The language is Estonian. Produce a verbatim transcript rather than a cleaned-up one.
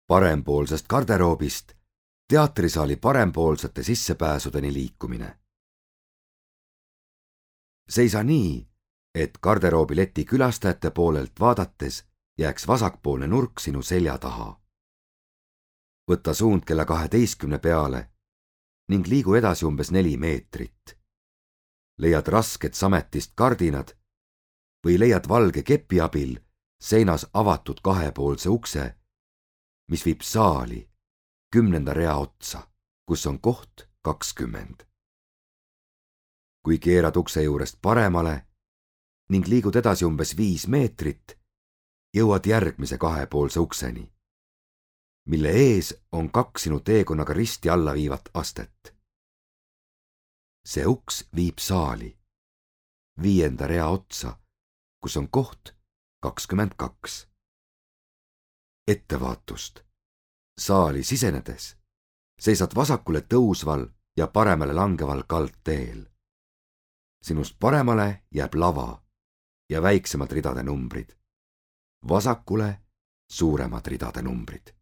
Parempoolsest garderoobist teatrisaali parempoolsete sissepääsudeni liikumine. Seisa nii, et garderoobileti külastajate poolelt vaadates jääks vasakpoolne nurk sinu selja taha. Võta suund kella kaheteistkümne peale ning liigu edasi umbes neli meetrit. Leiad rasked sametist kardinad või leiad valge kepi abil seinas avatud kahepoolse ukse, mis viib saali kümnenda rea otsa, kus on koht kakskümmend. Kui keerad ukse juurest paremale ning liigud edasi umbes viis meetrit, jõuad järgmise kahepoolse ukseni, mille ees on kaks sinu teekonnaga risti alla viivat astet. See uks viib saali viienda rea otsa, kus on koht kakskümmend kaks. Ettevaatust. Saali sisenedes seisad vasakule tõusval ja paremale langeval kaldteel. Sinust paremale jääb lava ja väiksemad ridade numbrid. Vasakule suuremad ridade numbrid.